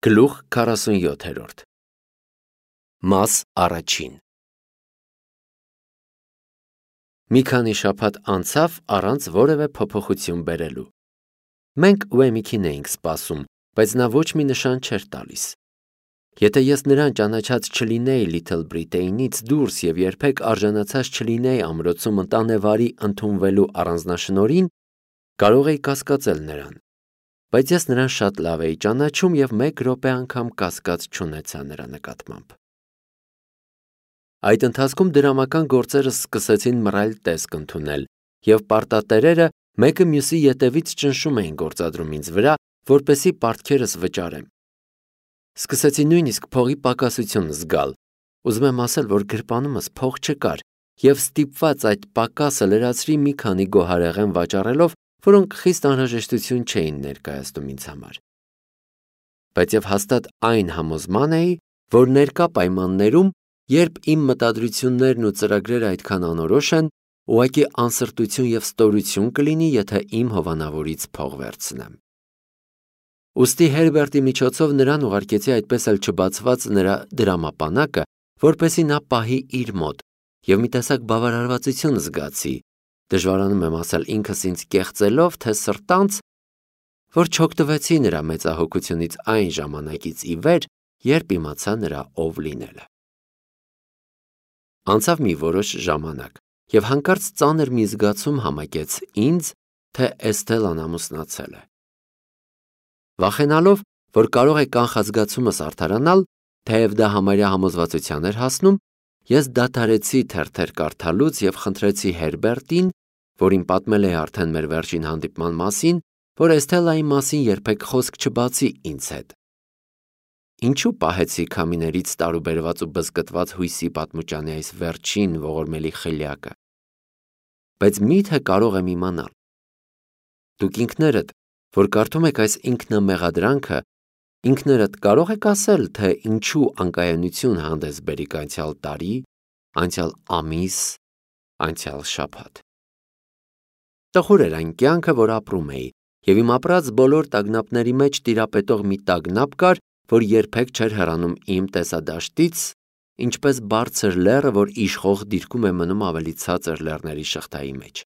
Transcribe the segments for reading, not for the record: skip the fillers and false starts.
Գլուխ 47 Մաս առաջին Մի քանի շաբաթ անցավ առանց որևէ փոփոխություն բերելու։ Մենք Ուեմիքին էինք սպասում, բայց նա ոչ մի նշան չէր տալիս։ Եթե ես նրան ճանաչած չլինեի Լիթլ Բրիտեյնից դուրս և երբեք արժանացած չլինեի ամրոցում ընտանեվարի ընդունվելու առանձնաշնորհին, կարող էի կասկածել նրան, բայց ես նրան շատ լավ էի ճանաչում և մեկ րոպե անգամ կասկած չունեցա նրա նկատմամբ։ Այդ ընթացքում դրամական գործերս սկսեցին մռայլ տեսք ընդունել, և պարտատերերը մեկը մյուսի ետևից ճնշում էին գործադրում ինձ վրա, որպեսզի պարտքերս վճարեմ։ Սկսեցի նույնիսկ փողի պակասություն զգալ, ուզում եմ ասել, որ գրպանումս փող չկար, և ստիպված այդ պակասը լրացրի մի քանի գոհարեղեն վաճառելով, որոնք խիստ անհրաժեշտություն չէին ներկայացնում ինձ համար։ Բայց և հաստատ այն համոզման էի, որ ներկա պայմաններում, երբ իմ մտադրություններն ու ծրագրերը այդքան անորոշ են, ուղղակի անսրտություն և ստորություն կլինի, եթե իմ հովանավորից փող վերցնեմ։ Ուստի Հերբերտի միջոցով նրան ուղարկեցի այդպես էլ չբացված նրա դրամապանակը, որպեսզի նա պահի իր մոտ, և մի տեսակ բավարարվածություն զգացի, դժվարանում եմ ասել ինքս ինձ կեղծելով, թե սրտանց, որ չօգտվեցի նրա մեծահոգությունից այն ժամանակից ի վեր, երբ իմացա նրա ով լինելը։ Անցավ մի որոշ ժամանակ, և հանկարծ ծանր մի զգացում համակեց ինձ, թե Էսթելան ամուսնացել է։ Վախենալով, որ կարող է կանխազգացումս արդարանալ, թեև դա համարյա համոզվածության էր հասնում, ես դադարեցի թերթեր կարդալուց և խնդրեցի Հերբերտին, որին պատմել էի արդեն մեր վերջին հանդիպման մասին, որ Էսթելայի մասին երբեք խոսք չբացի ինձ հետ։ Ինչու պահեցի քամիներից տարուբերված ու բզկտված հույսի պատմուճանի այս վերջին ողորմելի խելյակը։ Բայց միթե կարող եմ իմանալ։ Դուք ինքներդ, որ կարդում եք այս ինքնամեղադրանքը, ինքներդ կարող եք ասել, թե ինչու անկայունություն հանդես բերիք անցյալ տարի, անցյալ ամիս, անցյալ շաբաթ։ Տխուր էր այն կյանքը, որ ապրում էի, և իմ ապրած բոլոր տագնապների մեջ տիրապետող մի տագնապ կար, որ երբեք չէր հեռանում իմ տեսադաշտից, ինչպես բարձր լեռը, որ իշխող դիրքում է մնում ավելի ցածր լեռների շղթայի մեջ։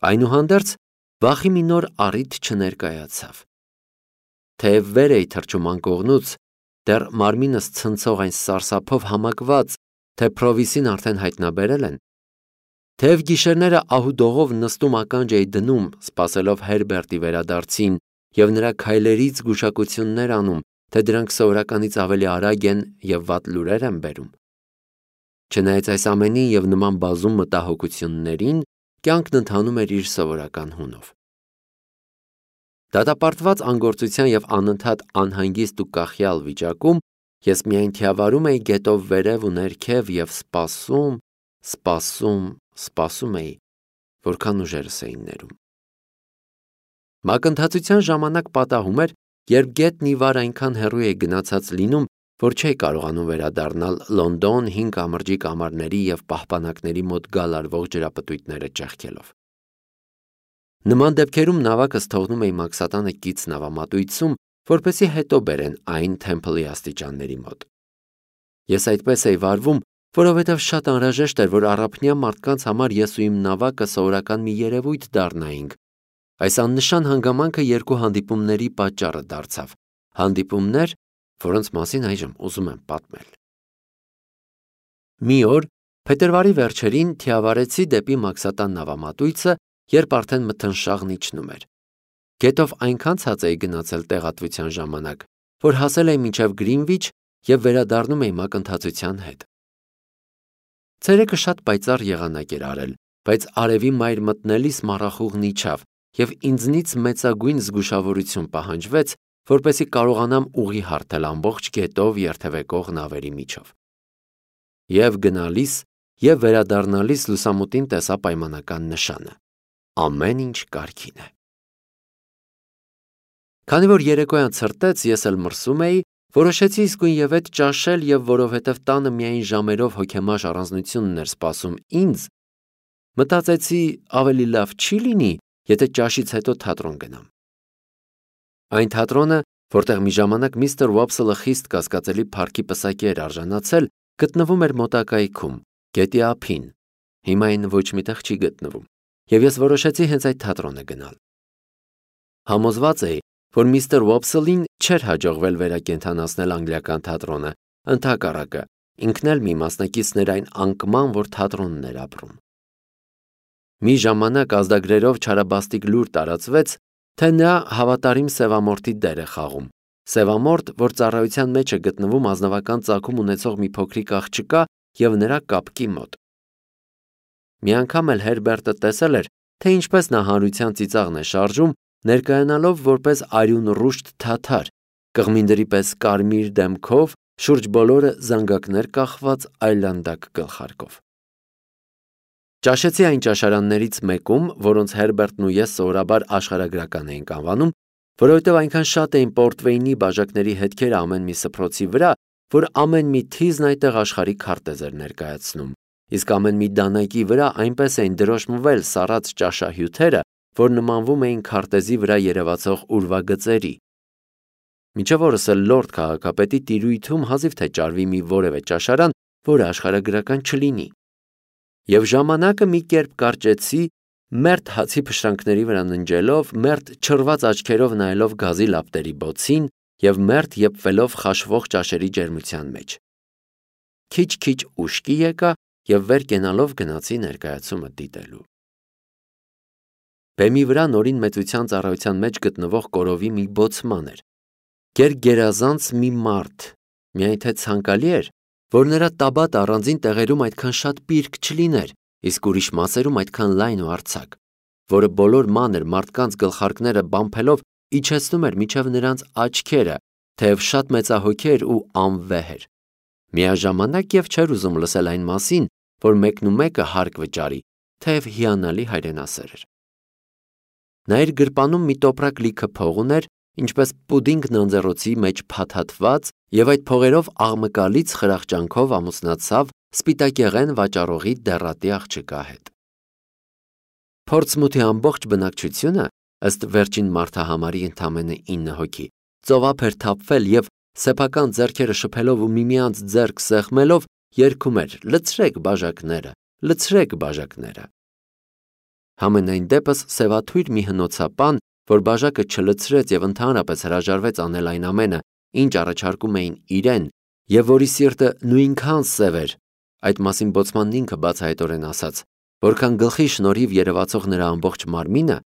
Այնուհանդերձ, վախի մի նոր առիթ չներկայացավ։ Թեև վեր էի թռչում անկողնուց, դեռ մարմինս ցնցող այն սարսափով համակված, թե Փրովիսին արդեն հայտնաբերել են, թեև գիշերները ահուդողով նստում ականջ էի դնում, սպասելով Հերբերտի վերադարձին և նրա քայլերից զգուշակություններ անում, թե դրանք սովորականից ավելի արագ են և վատ լուրեր են բերում։ Չնայած այս ամենին և նման բազում մտահոգություններին, կյանքն ընթանում էր իր սովորական հունով։ Դատապարտված անգործության և անընդհատ անհանգիստ ու կախյալ վիճակում ես միայն թիավարում էի գետով վերև ու ներքև և սպասում էի, որքան ուժերս էին ներում։ Մակընթացության ժամանակ պատահում էր, երբ գետն ի վար այնքան հեռու էր գնացած լինում, որ չէի կարողանում վերադառնալ Լոնդոն 5 կամրջի կամարների և պահպանակների մոտ գալարվող ջրապտույտները ճեղքելով։ Նման դեպքերում նավակս թողնում էի Մաքսատանը կից նավամատույցում, որպեսզի հետո բերեն այն Թեմփլի աստիճանների մոտ։ Ես այդպես էի վարվում, որովհետև շատ անհրաժեշտ էր, որ առափնյա մարդկանց համար ես ու իմ նավակը սովորական մի երևույթ դառնայինք։ Այս աննշան հանգամանքը երկու հանդիպումների պատճառը դարձավ, հանդիպումներ, որոնց մասին այժմ ուզում եմ պատմել։ Մի օր, փետրվարի վերջերին, թիավարեցի դեպի Մաքսատան նավամատույցը, երբ արդեն մթնշաղն իջնում էր։ Գետով այնքան ցած էի գնացել տեղատվության ժամանակ, որ հասել էի մինչև Գրինվիչ և վերադառնում էի մակընթացության հետ։ Ցերեկը շատ պայծառ եղանակ էր արել, բայց արևի մայր մտնելիս մառախուղն իջավ, և ինձնից մեծագույն զգուշավորություն պահանջվեց, որպեսզի կարողանամ ուղի հարթել ամբողջ գետով երթևեկող նավերի միջով։ Եվ գնալիս, և վերադառնալիս լուսամուտին տեսա պայմանական նշանը. ամեն ինչ կարգին է։ Քանի որ երեկոյան ցրտեց, ես էլ մրսում էի, որոշեցի իսկույնևեթ ճաշել և որովհետև տանը միայն ժամերով հոգեմաշ առանձնությունն էր սպասում ինձ, մտածեցի ավելի լավ չի լինի, եթե ճաշից հետո թատրոն գնամ։ Այն թատրոնը, որտեղ մի ժամանակ միստր Վոփսելը խիստ կասկածելի փառքի պսակի էր արժանացել, գտնվում էր մոտակայքում, գետի ափին։ Հիմա այն ոչ միտեղ չի գտնվում, եւ ես որոշեցի հենց այդ թատրոնը գնալ։ Համոզված էի, որ միստր Վոփսելին չէր հաջողվել վերակենդանացնել անգլիական թատրոնը, ընդհակառակը, ինքն էլ մի մասնակիցն էր այն անկման, որ թատրոնն էր ապրում։ Մի ժամանակ ազդագրերով չարաբաստիկ լուր տարածվեց, թե նա հավատարիմ սևամորթի դեր է խաղում։ Սևամորթ, որ ծառայության մեջ է գտնվում ազնվական ծագում ունեցող մի փոքրիկ աղջկա եւ նրա կապկի մոտ։ Մի անգամ էլ Հերբերտը տեսել էր, թե ինչպես նա հանրության ծիծաղն է շարժում, ներկայանալով որպես արյուն ռուշտ թաթար, կղմինդրի պես կարմիր դեմքով, շուրջ բոլորը զանգակներ կախված այլանդակ գլխարկով։ Ճաշեցի այն ճաշարաններից մեկում, որոնց Հերբերտն ու ես սովորաբար աշխարհագրական էինք անվանում, որովհետև այնքան շատ էին պորտվեյնի բաժակների հետքերը ամեն մի սփռոցի վրա, որ ամեն մի թիզն այդտեղ աշխարհի քարտեզ էր ներկայացնում, իսկ ամեն մի դանակի վրա այնպես էին դրոշմվել սառած ճաշահյութերը, որ նմանվում էին քարտեզի վրա երևացող ուրվագծերի։ Մինչև օրս էլ լորդ քաղաքապետի տիրույթում հազիվ թե ճարվի մի որևէ ճաշարան, որը աշխարհագրական չլինի։ Եվ ժամանակը մի կերպ կարճեցի, մերթ հացի փշրանքների վրա ննջելով, մերթ չռված աչքերով նայելով գազի լապտերի բոցին եւ մերթ եփվելով խաշվող ճաշերի ջերմության մեջ։ Քիչ-քիչ ուշքի եկա եւ վեր կենալով գնացի ներկայացումը դիտելու։ Բեմի վրա նորին մեծության ծառայության մեջ գտնվող կորովի մի բոցման էր։ Գերազանց մի մարդ, միայն թե ցանկալի էր, որ նրա տաբատ առանձին տեղերում այդքան շատ պիրկ չլիներ, իսկ ուրիշ մասերում այդքան լայն ու արձակ, որը բոլոր մանր մարդկանց գլխարկները բամփելով իջեցնում էր միջև նրանց աչքերը, թեև շատ մեծահոգի էր ու անվեհ էր։ Միաժամանակ եւ չէր ուզում լսել այն մասին, որ մեկն ու մեկը հարկ վճարի, թեև հիանալի հայրենասեր էր։ Նա իր գրպանում մի տոպրակ լիքը փող ուներ, ինչպես պուդինգ նանձեռոցի մեջ փաթաթված, եւ այդ փողերով աղմկալից խրախճանքով ամուսնացավ սպիտակեղեն վաճառողի դեռատի աղջկա հետ։ Փորձմութի ամբողջ բնակչությունը, ըստ վերջին մարդահամարի ընդամենը 9 հոգի, ծովափ էր թափվել եւ սեփական ձեռքերը շփելով ու միմյանց ձեռք սեղմելով երգում էր. «Լցրեք բաժակները, լցրեք բաժակները»։ Համենայն դեպս սևաթույր մի հնոցապան, որ բաժակը չլցրեց եւ ընդհանրապես հրաժարվեց անել այն ամենը, ինչ առաջարկում էին իրեն, եւ որի սիրտը նույնքան սև էր, այդ մասին բոցմանն ինքը բացահայտորեն ասաց, որքան գլխի շնորհիվ երևացող նրա ամբողջ մարմինը,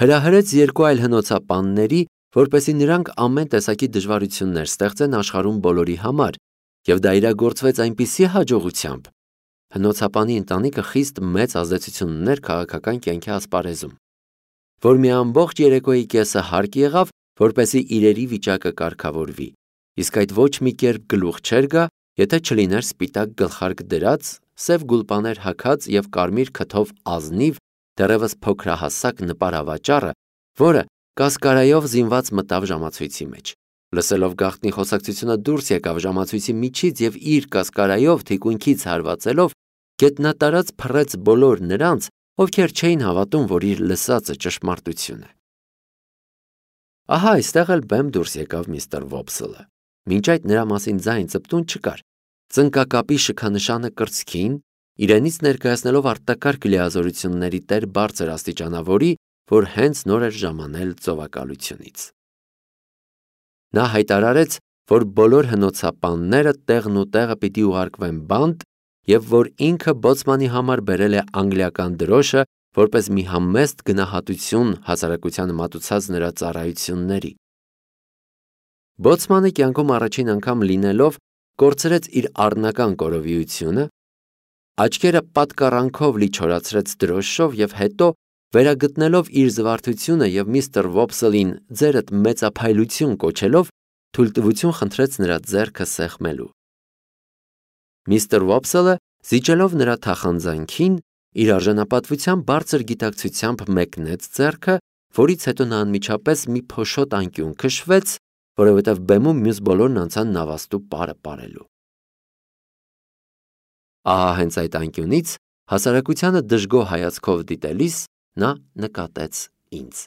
հրահրեց երկու այլ հնոցապանների, որպեսզի նրանք ամեն տեսակի դժվարություններ ստեղծեն աշխարհում բոլորի համար, եւ դա իրագործվեց այնպիսի հաջողությամբ, հնոցապանի ընտանիքը խիստ մեծ ազդեցություն ուներ քաղաքական կյանքի ասպարեզում, որ մի ամբողջ երեկոյի կեսը հարկ եղավ, որպեսզի իրերի վիճակը կարգավորվի, իսկ այդ ոչ մի կերպ գլուխ չէր գա, եթե չլիներ սպիտակ գլխարկ դրած, սև գուլպաներ հագած եւ կարմիր քթով ազնիվ, դեռևս փոքրահասակ նպարավաճառը, որը կասկարայով զինված մտավ ժամացույցի մեջ։ Լսելով գաղտնի խոսակցությունը դուրս եկավ ժամացույցի միջից եւ իր կասկարայով թիկունքից հարվածելով գետնատարած փռեց բոլոր նրանց, ովքեր չէին հավատում, որ իր լսածը ճշմարտություն է։ Ահա այստեղ էլ բեմ դուրս եկավ միստր Վոփսելը։ Մինչ այդ նրա մասին ձայն ծպտուն չկար։ Ծնկակապի շքանշանը կրծքին, իրենից ներկայացնելով արտակարգ լիազորությունների տեր բարձր աստիճանավորի, որ հենց նոր էր ժամանել ծովակալությունից։ Նա հայտարարեց, որ բոլոր հնոցապանները տեղն ու տեղը պիտի ուղարկվեն բանտ եւ որ ինքը բոցմանի համար բերել է անգլիական դրոշը որպես մի համեստ գնահատություն հասարակությանը մատուցած նրա ծառայությունների։ Բոցմանը կյանքում առաջին անգամ լինելով կորցրեց իր առնական կորովիությունը, աչքերը պատկառանքով լի չորացրեց դրոշով եւ հետո վերագտնելով իր զվարթությունը եւ միստր Վոփսելին ձերդ մեծափայլություն կոչելով, թույլտվություն խնդրեց նրա ձեռքը սեղմելու։ Միստր Վոփսելը, զիջելով նրա թախանձանքին, իր արժանապատվության բարձր գիտակցությամբ մեկնեց ձեռքը, որից հետո նա անմիջապես մի փոշոտ անկյուն քշվեց, որովհետև բեմում մյուս բոլորն անցան նավաստու պարը պարելու։ Ահա հենց այդ անկյունից հասարակությանը դժգոհ հայացքով դիտելիս նա նկատեց ինձ։